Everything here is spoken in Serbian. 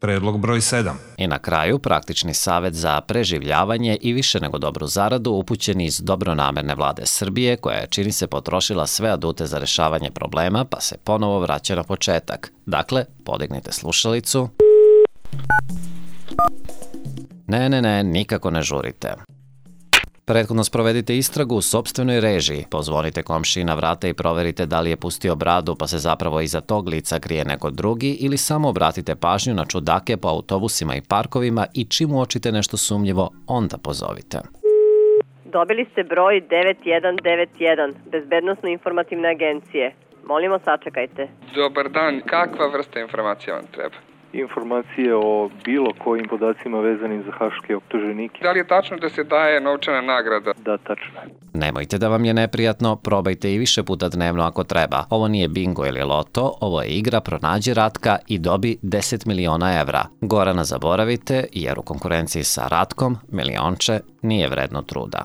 Predlog broj 7. I na kraju, praktični savet za preživljavanje i više nego dobru zaradu upućen iz dobronamerne vlade Srbije, koja je, čini se, potrošila sve adute za rešavanje problema, pa se ponovo vraća na početak. Dakle, podignite slušalicu. Ne, nikako ne žurite. Prethodno sprovedite istragu u sopstvenoj režiji, pozvonite komšiji na vrata i proverite da li je pustio bradu pa se zapravo iza tog lica krije neko drugi ili samo obratite pažnju na čudake po autobusima i parkovima i čim uočite nešto sumnjivo, onda pozovite. Dobili ste broj 9191, Bezbednosno-informativne agencije. Molimo, sačekajte. Dobar dan, kakva vrsta informacija vam treba? Informacije o bilo kojim podacima vezanim za haške optuženike. Da li je tačno da se daje novčana nagrada? Da, tačno je. Nemojte da vam je neprijatno, probajte i više puta dnevno ako treba. Ovo nije bingo ili loto, ovo je igra Pronađi Ratka i dobi 10 miliona evra. Gorana zaboravite, jer u konkurenciji sa Ratkom, milionče nije vredno truda.